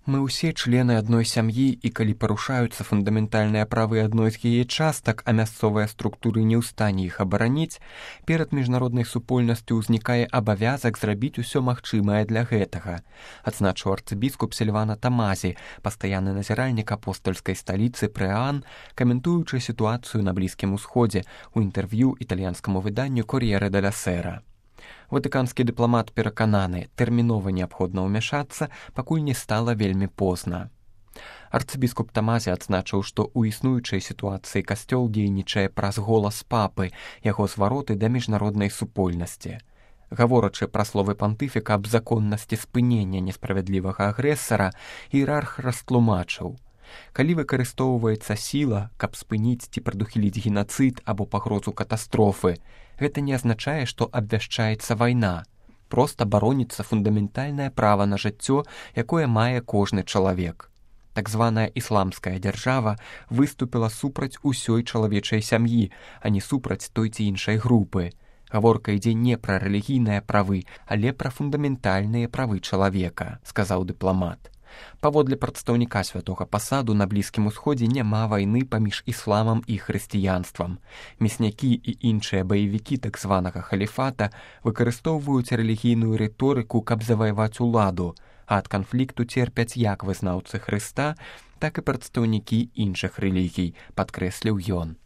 Мы ўсе члены адной сям'і, і калі парушаюцца фундаментальныя правы адной з яе частак, а мясцовыя структуры не ў стане іх абараніць, перад міжнароднай супольнасцю ўзнікае абавязак зрабіць усё магчымае для гэтага, адзначыў арцыбіскуп Сільвана Тамазі, пастаянны назіральнік апостальскай сталіцы Прэ-Ан, каментуючы сітуацыю на Блізкім Усходзе у інтэрв'ю італьянскаму выданню «Кор'єре деля Сера». Ватыканскі дыпламат перакананы, тэрмінова неабходна ўмяшацца, пакуль не стала вельмі позна. Арцыбіскуп Тамазі адзначыў, што ў існуючай сітуацыі касцёл дзейнічае праз голас папы, яго звароты да міжнароднай супольнасці. Гаворачы пра словы пантыфіка аб законнасці спынення несправядлівага агрэсара, іерарх растлумачыў: калі выкарыстоўваецца сіла, каб спыніць ці прадухіліць генацыд або пагрозу катастрофы, гэта не азначае, што абвяшчаецца вайна. Проста бароніцца фундаментальнае права на жыццё, якое мае кожны чалавек. Так званая ісламская дзяржава выступіла супраць усёй чалавечай сям'і, а не супраць той ці іншай групы. Гаворка ідзе не пра рэлігійныя правы, але пра фундаментальныя правы чалавека, сказаў дыпламат. Паводле прадстаўніка святога пасаду на Блізкім Усходзе няма вайны паміж ісламам і хрысціянствам. Мяснякі і іншыя баевікі так званага халіфата выкарыстоўваюць рэлігійную рыторыку, каб заваяваць уладу, а ад канфлікту церпяць як вызнаўцы Хрыста, так і прадстаўнікі іншых рэлігій, падкрэсліў ён.